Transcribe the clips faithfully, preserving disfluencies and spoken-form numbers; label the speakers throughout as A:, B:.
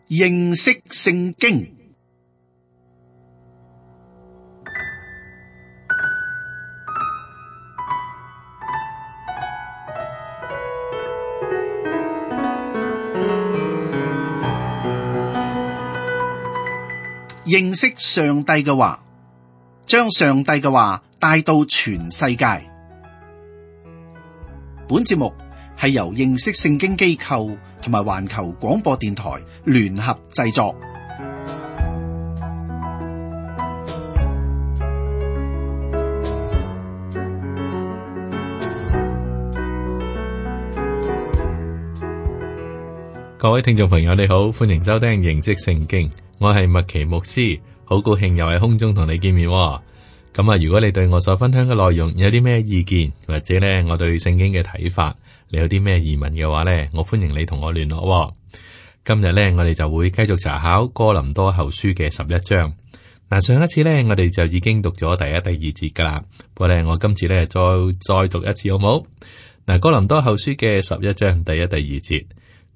A: 認識聖經。認識上帝嘅話，將上帝嘅話帶到全世界。本節目係由認識聖經機構同埋環球廣播電台聯合製作。
B: 各位聽眾朋友，你好，歡迎收聽認識聖經。我係麥奇牧師，好高興又喺空中同你見面。咁啊，如果你對我所分享嘅內容有啲咩意見，或者咧我對聖經嘅睇法，你有啲咩疑問嘅話咧，我歡迎你同我聯絡。今日咧，我哋就會繼續查考哥林多後書嘅十一章。嗱，上一次咧，我哋就已經讀咗第一、第二節噶啦。不過咧，我今次咧再再讀一次好冇？嗱，哥林多後書嘅十一章第一、第二節，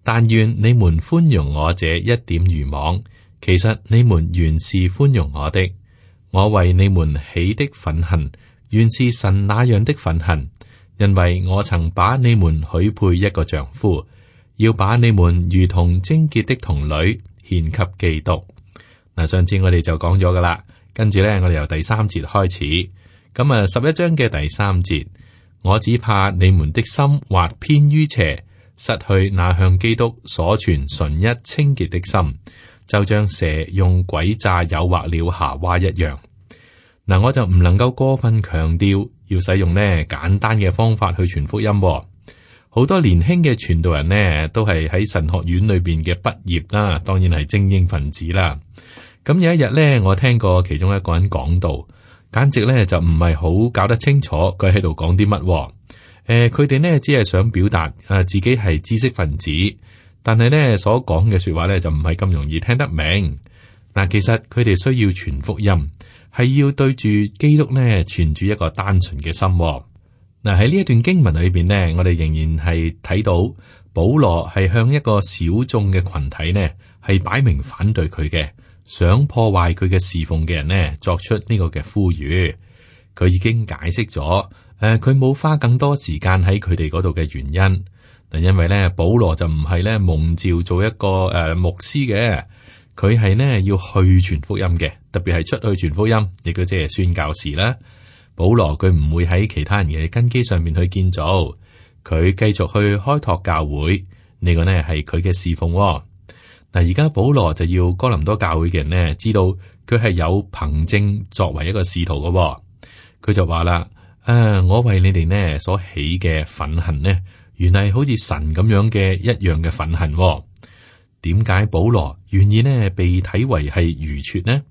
B: 但願你們寬容我這一點愚妄。其實你們原是寬容我的，我為你們起的憤恨，原是神那樣的憤恨，因為我曾把你們許配一個丈夫，要把你們如同貞潔的童女獻給基督。嗱，上次我哋就講咗噶啦，跟住咧我哋由第三節開始，咁啊十一章嘅第三節，我只怕你們的心或偏於邪，失去那向基督所存純一清潔的心。就像蛇用詭詐誘惑了夏娃一樣。嗱，我就唔能夠過分強調要使用呢簡單嘅方法去傳福音。好多年輕嘅傳道人呢，都係喺神學院裏邊嘅畢業啦，當然係精英分子啦。咁有一日呢，我聽過其中一個人講道，簡直呢就唔係好搞得清楚佢喺度講啲乜。誒、呃，佢哋呢只係想表達誒自己係知識分子。但係咧，所講嘅說話咧就唔係咁容易聽得明。嗱，其實佢哋需要傳福音，係要對住基督咧，存住一個單純嘅心。嗱，喺呢一段經文裏邊呢，我哋仍然係睇到保羅係向一個小眾嘅群體呢，係擺明反對佢嘅，想破壞佢嘅侍奉嘅人呢，作出呢個嘅呼籲。佢已經解釋咗，誒、呃，佢冇花更多時間喺佢哋嗰度嘅原因。嗱，因為咧，保羅就唔係咧蒙召做一個誒、呃、牧師嘅，佢係呢要去傳福音嘅，特別係出去傳福音，亦都即係宣教士啦。保羅佢唔會喺其他人嘅根基上面去建造，佢繼續去開拓教會，呢、這個呢係佢嘅侍奉。嗱，而家保羅就要哥林多教會嘅人呢知道佢係有憑證作為一個使徒嘅，佢就話啦：誒、啊，我為你哋呢所起嘅憤恨呢，原來好似神咁樣嘅一樣嘅憤恨。點解保羅願意呢被睇為係愚拙呢？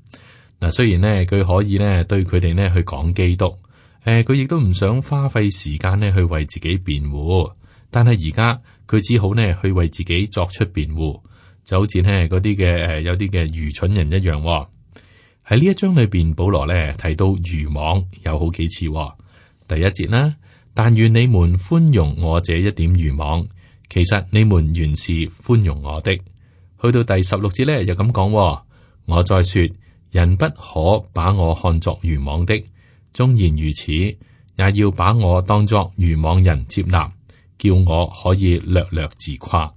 B: 嗱，雖然呢佢可以呢對佢哋呢去講基督，誒，佢亦都唔想花費時間呢去為自己辯護，但係而家佢只好呢去為自己作出辯護，就好似呢嗰啲嘅誒有啲嘅愚蠢人一樣。喺呢一章裏邊，保羅呢提到愚妄有好幾次。第一節啦。但願你們寬容我這一點愚妄，其實你們原是寬容我的。去到第十六節咧，又咁講：我再說，人不可把我看作愚妄的，縱然如此，也要把我當作愚妄人接納，叫我可以略略自誇。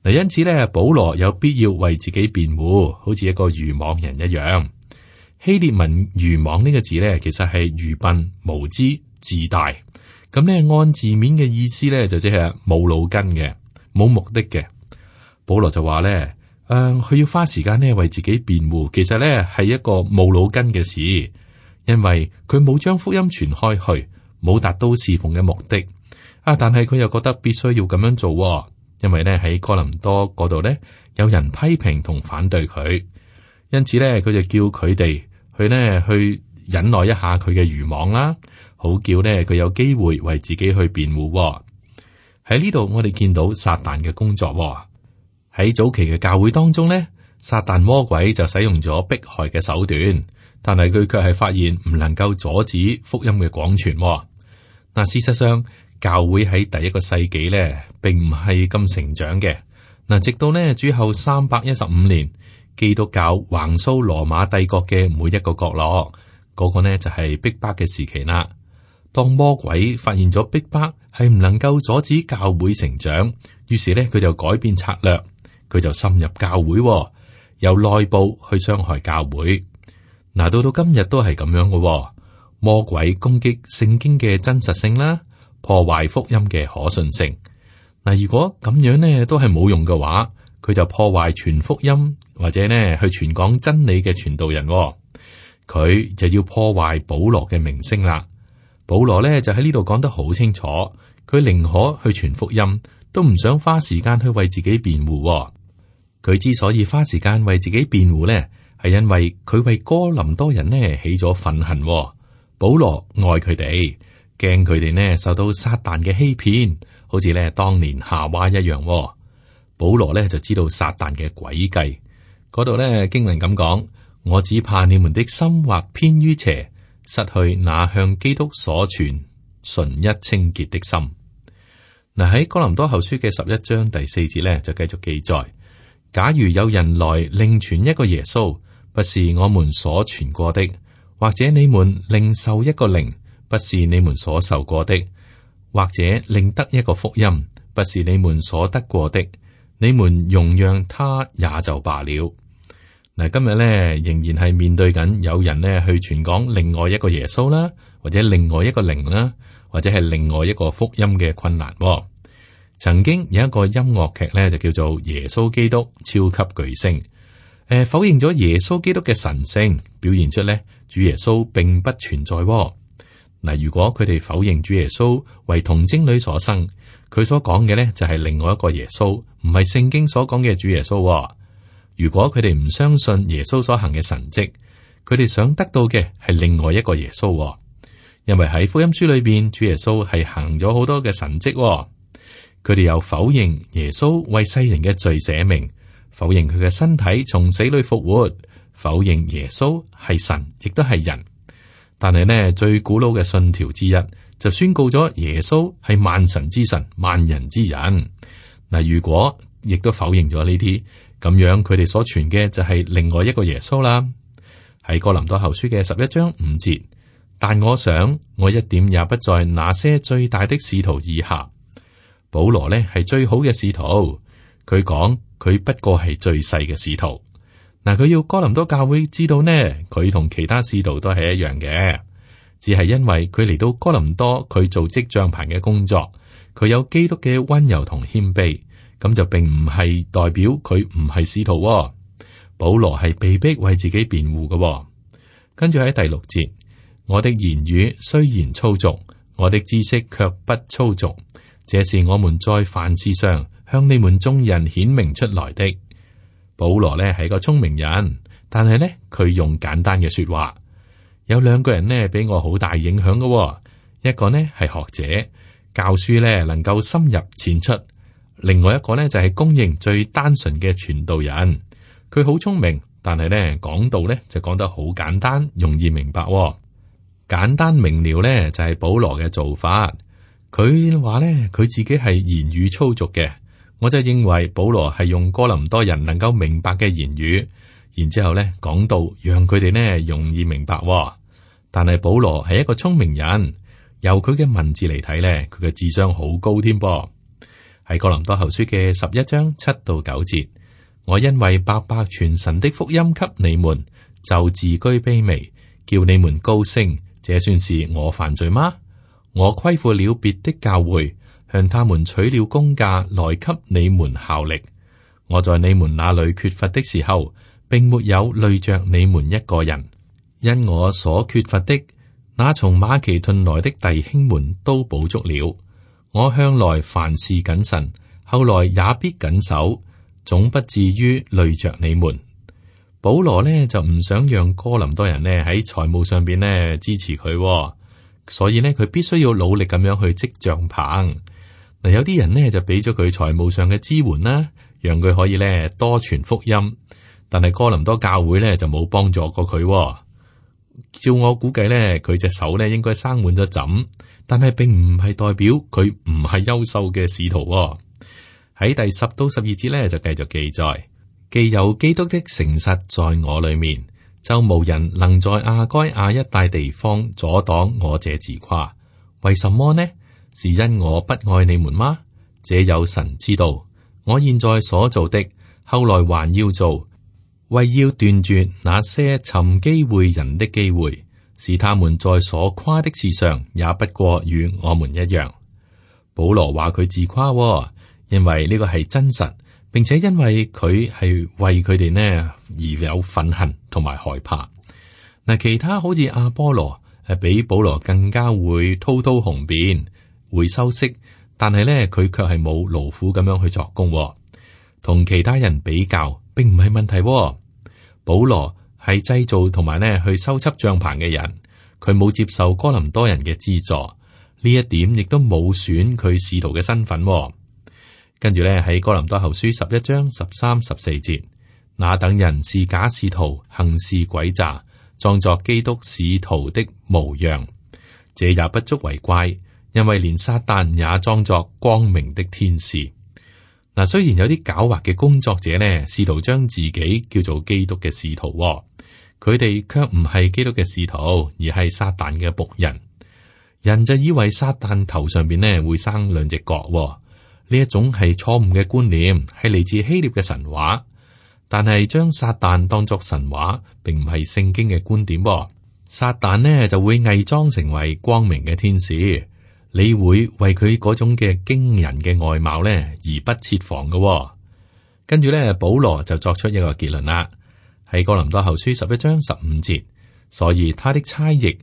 B: 嗱，因此咧，保羅有必要為自己辯護，好似一個愚妄人一樣。希臘文愚妄呢個字咧，其實係愚笨、無知、自大。咁咧，按字面嘅意思咧，就即係冇腦筋嘅，冇目的嘅。保羅就話咧，誒、呃，佢要花時間咧為自己辯護，其實咧係一個冇腦筋嘅事，因為佢冇將福音傳開去，冇達到侍奉嘅目的。啊，但係佢又覺得必須要咁樣做，因為咧喺哥林多嗰度咧有人批評同反對佢，因此咧佢就叫佢哋去呢去忍耐一下佢嘅愚妄啦。好叫呢，佢有機會為自己去辯護。喺呢度，我哋見到撒旦嘅工作。喺早期嘅教會當中呢，撒旦魔鬼就使用咗迫害嘅手段，但係佢卻係發現唔能夠阻止福音嘅廣傳。嗱，事實上，教會喺第一個世紀呢，並唔係咁成長嘅。嗱，直到呢主後三百一十五年，基督教橫掃羅馬帝國嘅每一個角落，嗰、那個呢就係逼迫嘅時期啦。當魔鬼發現咗逼迫係唔能夠阻止教會成長，於是呢，佢就改變策略，佢就深入教會，由內部去傷害教會。嗱，到到今日都係咁樣嘅，魔鬼攻擊聖經嘅真實性啦，破壞福音嘅可信性。嗱，如果咁樣呢都係冇用嘅話，佢就破壞全福音或者呢去傳講真理嘅傳道人，佢就要破壞保羅嘅名聲啦。保羅呢就喺呢度講得好清楚，佢寧可去傳福音，都唔想花時間去為自己辯護。佢之所以花時間為自己辯護呢，係因為佢為哥林多人呢起咗憤恨。保羅愛佢哋，驚佢哋呢受到撒旦嘅欺騙，好似呢當年夏娃一樣。保羅呢就知道撒旦嘅詭計，嗰度呢經文咁講：我只怕你們的心或偏於邪，失去那向基督所存純一清潔的心。嗱，喺哥林多後書嘅十一章第四節呢就繼續記載：假如有人來另傳一個耶穌，不是我們所傳過的，或者你們另受一個靈，不是你們所受過的，或者另得一個福音，不是你們所得過的，你們容讓他也就罷了。嗱，今日咧仍然係面對緊有人咧去傳講另外一個耶穌啦，或者另外一個靈啦，或者係另外一個福音嘅困難。曾經有一個音樂劇咧，就叫做《耶穌基督超級巨星》，誒，否認咗耶穌基督嘅神聖，表現出咧主耶穌並不存在。嗱，如果佢哋否認主耶穌為童貞女所生，佢所講嘅咧就係另外一個耶穌，唔係聖經所講嘅主耶穌。如果佢哋唔相信耶穌所行嘅神蹟，佢哋想得到嘅係另外一個耶穌。因為喺福音書裏邊，主耶穌係行咗好多嘅神蹟。佢哋又否認耶穌為世人嘅罪捨命，否認佢嘅身體從死裏復活，否認耶穌係神，亦都係人。但係呢，最古老嘅信條之一就宣告咗耶穌係萬神之神、萬人之人。嗱，如果亦都否認咗呢啲，咁樣佢哋所傳嘅就係另外一個耶穌啦。喺哥林多後書嘅十一章五節，但我想我一點也不在那些最大的使徒以下。保羅呢係最好嘅使徒，佢講佢不過係最細嘅使徒。嗱，佢要哥林多教會知道呢，佢同其他使徒都係一樣嘅，只係因為佢嚟到哥林多，佢做織帳棚嘅工作，佢有基督嘅溫柔同謙卑，咁就並唔係代表佢唔係使徒。保羅係被逼為自己辯護嘅。跟住喺第六節，我的言語雖然粗俗，我的知識卻不粗俗，這是我們在凡事上向你們眾人顯明出來的。保羅呢係個聰明人，但係呢佢用簡單嘅說話。有兩個人呢俾我好大影響嘅，一個呢係學者，教書呢能夠深入淺出；另外一個呢就係公認最單純嘅傳道人。佢好聰明，但係呢講道呢就講得好簡單，容易明白。簡單明了呢就係保羅嘅做法。佢話呢佢自己係言語粗俗嘅。我就認為保羅係用哥林多人能夠明白嘅言語，然之後咧講到讓佢哋呢容易明白。但係保羅係一個聰明人，由佢嘅文字嚟睇咧，佢嘅智商好高添噃。喺哥林多後書嘅十一章七到九節，我因為白白傳神的福音給你們，就自居卑微，叫你們高升，這算是我犯罪嗎？我虧負了別的教會，向他們取了工價來給你們效力。我在你們那裏缺乏的時候，並沒有累着你們一個人，因我所缺乏的，那從馬其頓來的弟兄們都補足了。我向來凡事謹慎，後來也必謹守，總不至於累着你們。保羅呢就唔想讓哥林多人呢喺財務上邊呢支持佢，所以呢佢必須要努力咁樣去織帳棚。嗱，有啲人呢就俾咗佢財務上嘅支援啦，讓佢可以咧多傳福音。但係哥林多教會咧就冇幫助過佢。照我估計咧，佢隻手咧應該生滿咗疹，但係並唔係代表佢唔係優秀嘅使徒。喺第十到十二節咧就繼續記載，既有基督的誠實在我裏面，就無人能在亞該亞一帶地方阻擋我這自誇。為什麼呢？是因我不愛你們嗎？這有神知道。我現在所做的，後來還要做，為要斷絕那些尋機會人的機會，使他們在所誇的事上也不過與我們一樣。保羅話佢自誇、哦，因為呢個係真實，並且因為佢係為佢哋呢而有憤恨同埋害怕。嗱，其他好似阿波羅係比保羅更加會滔滔雄辯，會修飾。但係咧，佢卻係冇勞苦咁樣去作工、哦，同其他人比較，並唔係問題、哦。保羅係製造同埋咧去修葺帳棚嘅人，佢冇接受哥林多人嘅資助，呢一點亦都冇損佢使徒嘅身份、哦。跟住咧喺哥林多後書十一章十三十四節，那等人是假使徒，行事詭詐，裝作基督使徒的模樣，這也不足為怪。因為連撒旦也裝作光明的天使。嗱，雖然有啲狡猾嘅工作者呢，試圖將自己叫做基督嘅使徒、哦，佢哋卻唔係基督嘅使徒，而係撒旦嘅僕人。人就以為撒旦頭上邊呢會生兩隻角、哦，呢一種係錯誤嘅觀念，係嚟自希臘嘅神話。但係將撒旦當作神話，並唔係聖經嘅觀點、哦。撒旦呢就會偽裝成為光明嘅天使。你會為佢嗰種嘅驚人嘅外貌咧而不設防嘅、哦，跟住咧保羅就作出一個結論啦。喺哥林多後書十一章十五節，所以他的差役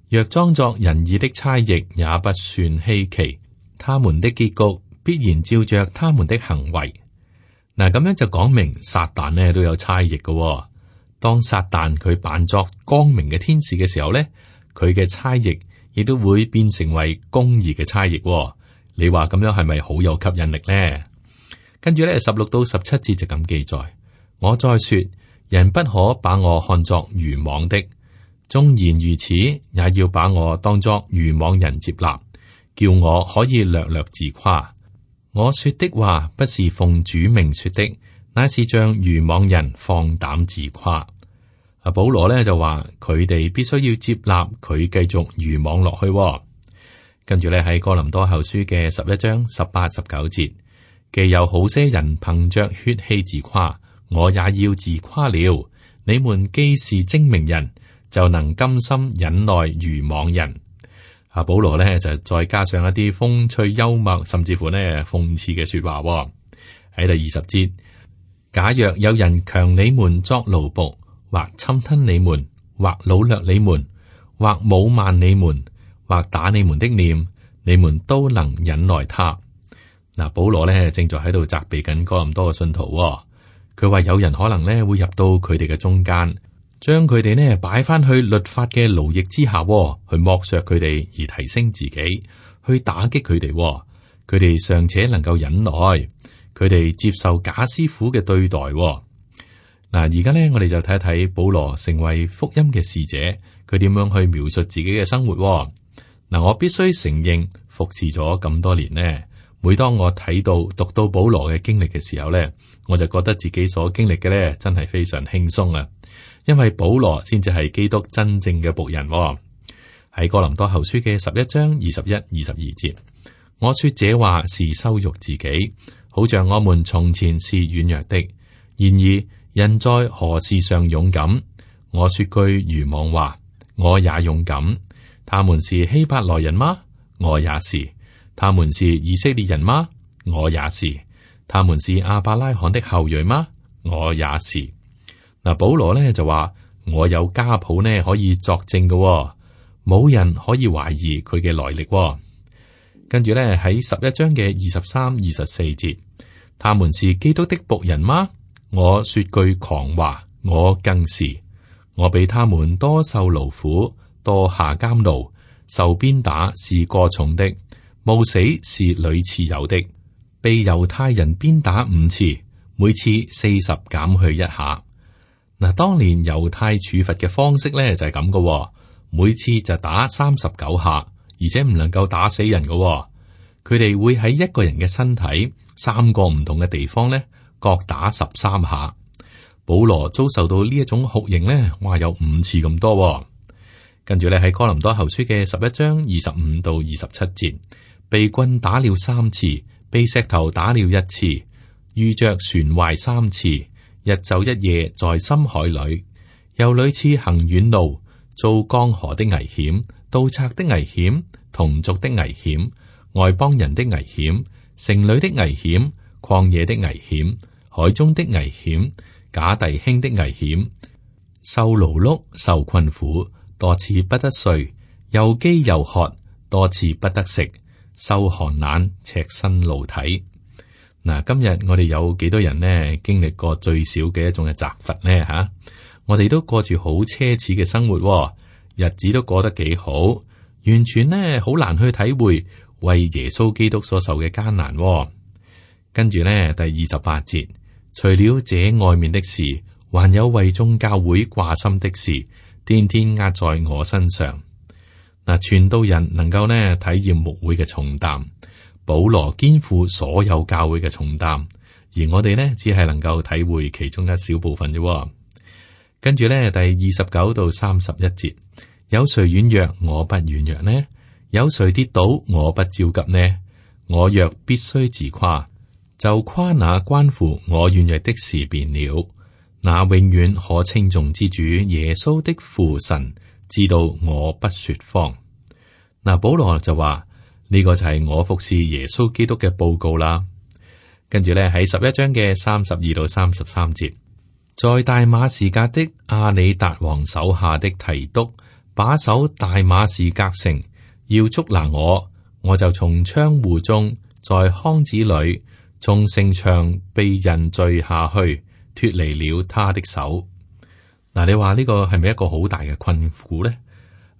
B: 若裝作仁義的差役，也不算稀奇。他們的結局必然照着他們的行為。嗱，咁樣就講明撒旦呢都有差役嘅、哦。當撒旦佢扮作光明嘅天使嘅時候咧，佢嘅差役亦都會變成為公義嘅差役、哦，你話咁樣係咪好有吸引力呢？跟住咧，十六到十七節就咁記載。我再說，人不可把我看作愚妄的，縱然如此，也要把我當作愚妄人接納，叫我可以略略自誇。我說的話不是奉主名說的，乃是像愚妄人放膽自誇。阿保羅咧就話佢哋必須要接納佢繼續愚妄落去、哦，跟住咧喺哥林多後書嘅十一章十八十九節，既有好些人憑着血氣自誇，我也要自誇了。你們既是精明人，就能甘心忍耐愚妄人。阿保羅咧就再加上一啲風趣幽默，甚至乎呢諷刺嘅說話、哦。喺第二十節，假若有人強你們作奴僕，或侵吞你們，或擄掠你們，或侮慢你們，或打你們的臉，你們都能忍耐他。嗱，保羅咧正在喺度責備緊哥林多嘅信徒、哦。佢話有人可能咧會入到佢哋嘅中間，將佢哋呢擺翻去律法嘅奴役之下、哦，去剝削佢哋而提升自己，去打擊佢哋、哦。佢哋尚且能夠忍耐，佢哋接受假師傅嘅對待、哦。嗱，而家咧，我哋就睇一睇保羅成為福音嘅使者，佢點樣去描述自己嘅生活、哦。嗱，我必須承認，服侍咗咁多年呢，每當我睇到讀到保羅嘅經歷嘅時候咧，我就覺得自己所經歷嘅咧，真係非常輕鬆啊！因為保羅先至係基督真正嘅僕人、哦。喺哥林多後書嘅十一章二十一、二十二節，我說這話是羞辱自己，好像我們從前是軟弱的，然而，人在何事上勇敢？我說句愚妄話，我也勇敢。他們是希伯來人嗎？我也是。他們是以色列人嗎？我也是。他們是亞伯拉罕的後裔嗎？我也是。嗱，保羅咧就話我有家譜呢可以作證嘅、哦，冇人可以懷疑佢嘅來歷、哦。跟住咧喺十一章嘅二十三、二十四節，他們是基督的僕人嗎？我說句狂話，我更是。我比他們多受勞苦，多下監牢，受鞭打是過重的，冒死是屢次有的。被猶太人鞭打五次，每次四十減去一下。嗱，當年猶太處罰嘅方式咧就係咁嘅，每次就打三十九下，而且唔能夠打死人嘅、哦。佢哋會喺一個人嘅身體三個唔同嘅地方咧，各打十三下。保羅遭受到呢一種酷刑咧，話有五次咁多、哦。跟住咧喺哥林多後書嘅十一章二十五到二十七節，被棍打了三次，被石頭打了一次，遇着船壞三次，日晝一夜在深海裏，又屢次行遠路，遭江河的危險、盜賊的危險、同族的危險、外邦人的危險、城裏的危險、曠野的危險、海中的危險、假弟兄的危險，受勞碌、受困苦，多次不得睡，又飢又渴，多次不得食，受寒冷，赤身露體。嗱，今日我哋有幾多人呢？經歷過最少嘅一種嘅責罰呢？吓、啊，我哋都過住好奢侈嘅生活、哦，日子都過得幾好，完全呢好難去體會為耶穌基督所受嘅艱難、哦。跟住呢，第二十八節。除了這外面的事，還有為眾教會掛心的事，天天壓在我身上。嗱，傳道人能夠呢體驗牧會嘅重擔，保羅肩負所有教會嘅重擔，而我哋呢只係能夠體會其中一小部分啫。跟住呢，第二十九到三十一節，有誰軟弱，我不軟弱呢？有誰跌倒，我不焦急呢？我若必須自誇，就誇那關乎我軟弱的事便了。那永遠可稱頌之主耶穌的父神知道我不說謊。嗱，保羅就話呢、這個就係我服侍耶穌基督嘅報告啦。跟住咧喺十一章嘅三十二到三十三節，在大馬士革的阿里達王手下的提督把守大馬士革城，要捉拿我，我就從窗戶中在筐子裏。從城牆被人墜下去，脫離了他的手。嗱，你話呢個係咪一個好大嘅困苦呢？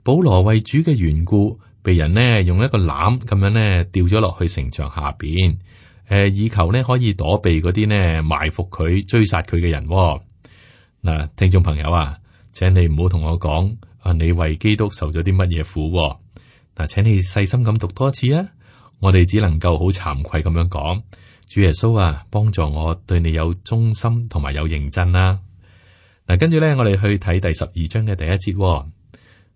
B: 保羅為主嘅緣故，被人呢用一個籃咁樣呢掉咗落去城牆下邊，誒、呃，以求呢可以躲避嗰啲呢埋伏佢、追殺佢嘅人。嗱，聽眾朋友啊，請你唔好同我講啊，你為基督受咗啲乜嘢苦？嗱，請你細心咁讀多次啊，我哋只能夠好慚愧咁樣講。主耶穌啊，幫助我對你有忠心同埋有認真啦。嗱，跟住咧，我哋去睇第十二章嘅第一節、哦。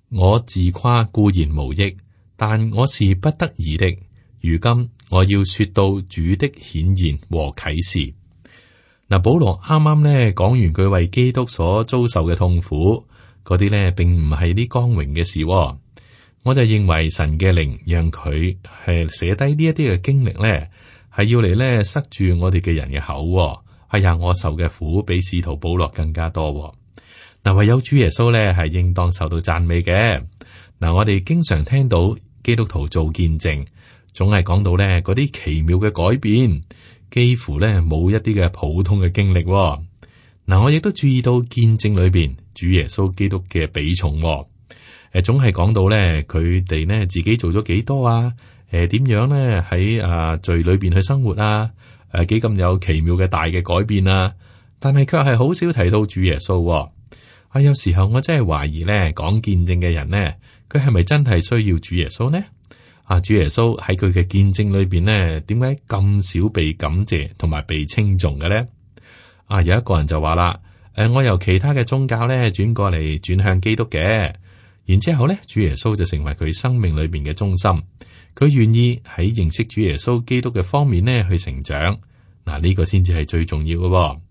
B: 我自誇固然無益，但我是不得已的。如今我要說到主的顯現和啟示。嗱，保羅啱啱咧講完佢為基督所遭受嘅痛苦，嗰啲咧並唔係啲光榮嘅事、哦。我就認為神嘅靈讓佢係寫低呢一啲嘅經歷咧。係要嚟咧塞住我哋嘅人嘅口、哦，哎呀，我受嘅苦比使徒保羅更加多、哦。嗱，唯有主耶穌咧係應當受到讚美嘅。嗱，我哋經常聽到基督徒做見證，總係講到咧嗰啲奇妙嘅改變，幾乎咧冇一啲嘅普通嘅經歷、哦。嗱，我亦都注意到見證裏邊主耶穌基督嘅比重、哦。誒，總係講到咧佢哋咧自己做咗幾多啊？誒，點樣咧喺啊罪裏邊去生活啊？誒，幾咁有奇妙嘅大嘅改變啊！但係卻係好少提到主耶穌、哦。啊，有時候我真係懷疑咧，講見證嘅人咧，佢係咪真係需要主耶穌呢？啊，主耶穌喺佢嘅見證裏邊咧，點解咁少被感謝同埋被稱頌嘅咧？啊，有一個人就話啦，誒、啊，我由其他嘅宗教咧轉過嚟轉向基督嘅，然之後咧，主耶穌就成為佢生命裏邊嘅中心。佢願意喺認識主耶穌基督嘅方面呢去成長，嗱、這、呢個先至係最重要嘅、哦。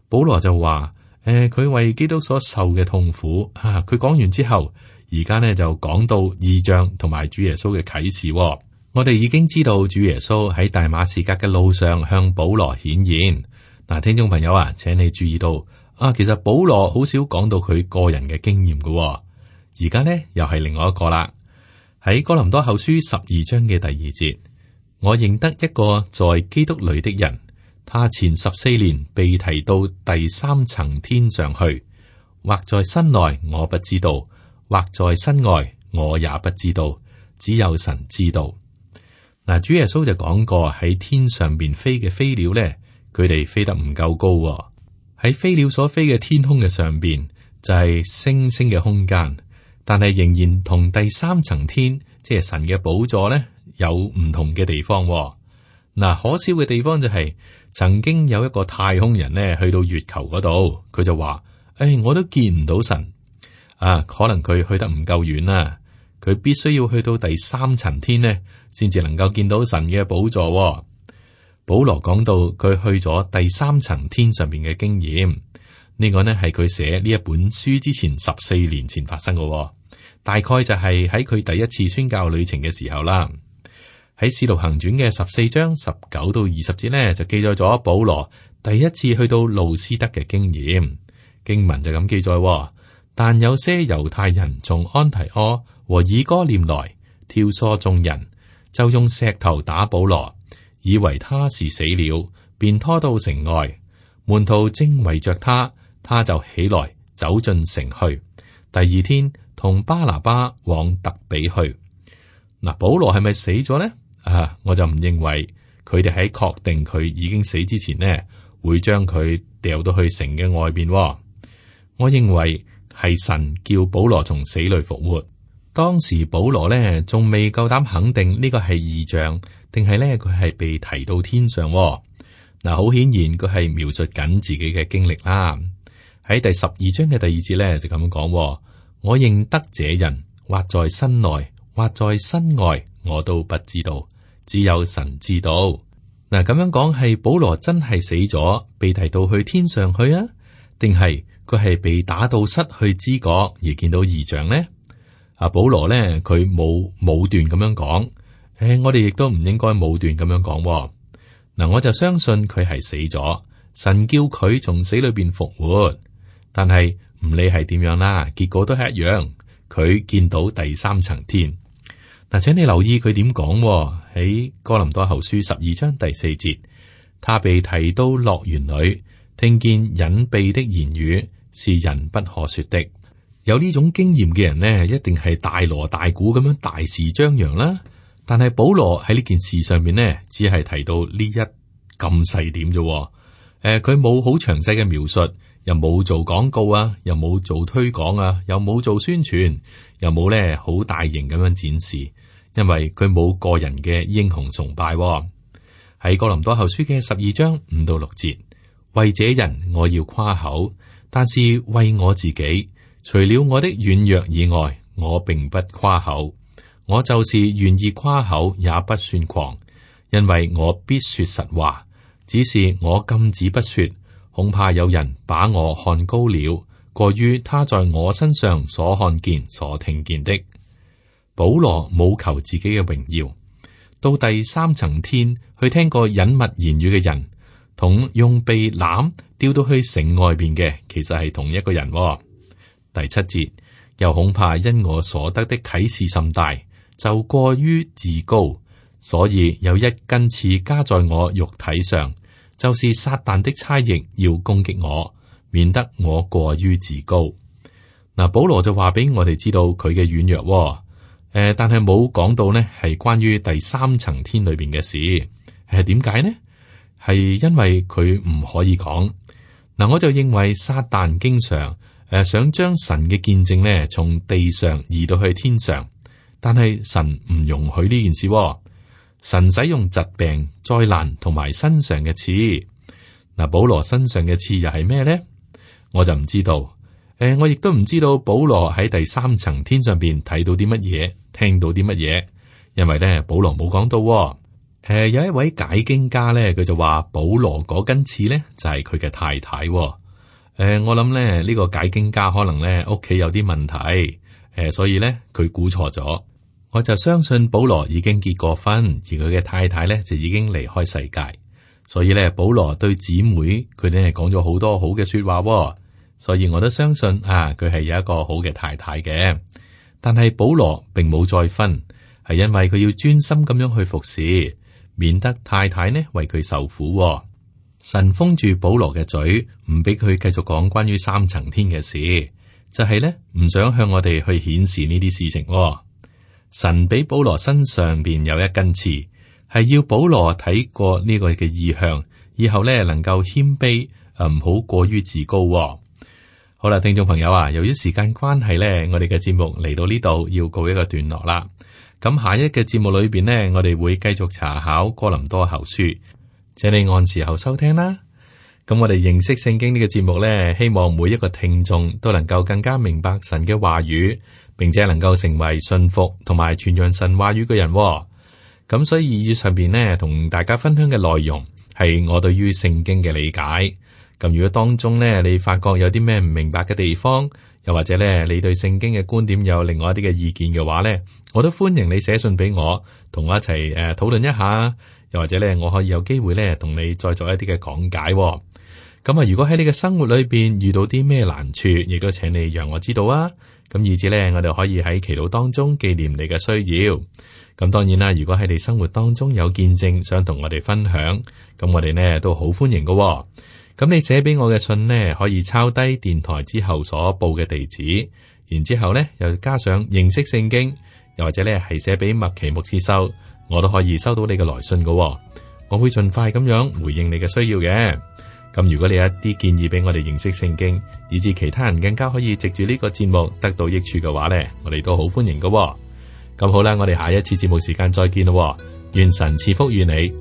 B: 保羅就話：誒、呃，佢為基督所受嘅痛苦啊，佢講完之後，而家呢就講到異象同埋主耶穌嘅啟示、哦。我哋已經知道主耶穌喺大馬士革嘅路上向保羅顯現。嗱，聽眾朋友啊，請你注意到啊，其實保羅好少講到佢個人嘅經驗嘅、哦。而家呢又係另外一個啦。喺哥林多後書十二章嘅第二節，我認得一個在基督裏的人，他前十四年被提到第三層天上去，或在身內我不知道，或在身外我也不知道，只有神知道。嗱，主耶穌就講過喺天上邊飛嘅飛鳥咧，佢哋飛得唔夠高喎。喺飛鳥所飛嘅天空嘅上邊就係星星嘅空間。但係仍然同第三層天，即係神嘅寶座咧，有唔同嘅地方、哦。嗱，可笑嘅地方就係、是、曾經有一個太空人呢去到月球嗰度，佢就話：誒、哎，我都見唔到神啊！可能佢去得唔夠遠啦，佢必須要去到第三層天呢，先至能夠見到神嘅寶座。保羅講到佢去咗第三層天上邊嘅經驗，呢、這個呢係佢寫呢一本書之前十四年前發生嘅，大概就係喺佢第一次宣教旅程嘅時候啦。喺《使徒行傳》嘅十四章十九到二十節呢，就記載咗保羅第一次去到路斯德嘅經驗。經文就咁記載：但有些猶太人從安提阿和以哥念來，挑唆眾人，就用石頭打保羅。以為他是死了，便拖到城外。門徒正圍着他，他就起來走進城去。第二天同巴拿巴往特比去。嗱，保羅係咪死咗呢？啊，我就唔認為佢哋喺確定佢已經死之前呢，會將佢掉到去城嘅外邊。我認為係神叫保羅從死裏復活。當時保羅呢，仲未夠膽肯定呢個係異象。定係咧，佢係被提到天上嗱，好顯然佢係描述緊自己嘅經歷啦。喺第十二章嘅第二節咧就咁講：我認得這人，或在身內，或在身外，我都不知道，只有神知道。嗱，咁樣講係保羅真係死咗，被提到去天上去啊？定係佢係被打到失去知覺而見到異象呢？啊，保羅咧佢冇武斷咁樣講。誒，我哋亦都唔應該武斷咁樣講。嗱，我就相信佢係死咗，神叫佢從死裏邊復活。但係唔理係點樣啦，結果都係一樣，佢見到第三層天。嗱，請你留意佢點講喺哥林多後書十二章第四節，他被提到樂園裏，聽見隱秘的言語，是人不可說的。有呢種經驗嘅人呢，一定係大鑼大鼓咁樣大肆張揚啦。但係保羅喺呢件事上面呢，只係提到呢一咁細點啫。誒、呃，佢冇好詳細嘅描述，又冇做廣告啊，又冇做推廣啊，又冇做宣傳，又冇咧好大型咁樣展示，因為佢冇個人嘅英雄崇拜。喺哥林多後書嘅十二章五到六節，為這人我要誇口，但是為我自己，除了我的軟弱以外，我並不誇口。我就是願意誇口，也不算狂，因為我必說實話。只是我禁止不說，恐怕有人把我看高了，過於他在我身上所看見、所聽見的。保羅冇求自己嘅榮耀，到第三層天去聽過隱密言語嘅人，同用被攬吊到去城外邊嘅，其實係同一個人。第七節，又恐怕因我所得的啟示甚大，就過於自高，所以有一根刺加在我肉體上，就是撒旦的差役要攻擊我，免得我過於自高。嗱，保羅就話俾我哋知道佢嘅軟弱，誒、呃，但係冇講到呢係關於第三層天裏邊嘅事，係點解呢？係因為佢唔可以講。嗱，我就認為撒旦經常誒、呃、想將神嘅見證呢從地上移到去天上。但係神唔容許呢件事，神使用疾病、災難同埋身上嘅刺。嗱，保羅身上嘅刺又係咩呢？我就唔知道。誒、呃，我亦都唔知道保羅喺第三層天上邊睇到啲乜嘢，聽到啲乜嘢，因為咧保羅冇講到。誒、呃，有一位解經家咧，佢就話保羅嗰根刺咧就係佢嘅太太。誒、呃，我諗咧呢、這個解經家可能咧屋企有啲問題，誒、呃，所以咧佢估錯咗。我就相信保羅已經結過婚，而佢嘅太太咧就已經離開世界，所以咧保羅對姊妹佢哋係講咗好多好嘅說話，所以我都相信啊，佢係有一個好嘅太太嘅。但係保羅並冇再婚，係因為佢要專心咁樣去服侍，免得太太呢為佢受苦。神封住保羅嘅嘴，唔俾佢繼續講關於三層天嘅事，就係咧唔想向我哋去顯示呢啲事情。神俾保羅身上邊有一根刺，係要保羅睇過呢個嘅意向，以後咧能夠謙卑，誒唔好過於自高。好啦，聽眾朋友啊，由於時間關係咧，我哋嘅節目嚟到呢度要告一個段落啦。咁下一嘅節目裏邊呢，我哋會繼續查考哥林多後書，請你按時候收聽啦。咁我哋認識聖經呢個節目呢，希望每一個聽眾都能夠更加明白神嘅話語，並且能夠成為信服同埋傳揚神話語嘅人。咁所以以上邊呢，同大家分享嘅內容係我對於聖經嘅理解。咁如果當中呢，你發覺有啲咩唔明白嘅地方，又或者咧你對聖經嘅觀點有另外一啲嘅意見嘅話呢，我都歡迎你寫信俾我，同我一齊誒討論一下。又或者咧，我可以有機會咧同你再做一啲嘅講解。咁啊，如果喺你嘅生活裏邊遇到啲咩難處，亦都請你讓我知道啊。咁以至咧，我哋可以喺祈禱當中紀念你嘅需要。咁當然啦，如果喺你生活當中有見證想同我哋分享，咁我哋呢都好歡迎嘅。咁你寫俾我嘅信呢，可以抄低電台之後所報嘅地址，然之後呢又加上認識聖經，又或者咧係寫俾麥奇牧師收。我都可以收到你嘅來信嘅。我會盡快咁樣回應你嘅需要嘅。咁如果你有一啲建議俾我哋認識聖經，以致其他人更加可以藉住呢個節目得到益處嘅話呢，我哋都好歡迎嘅。咁好啦，我哋下一次節目時間再見咯。願神賜福與你。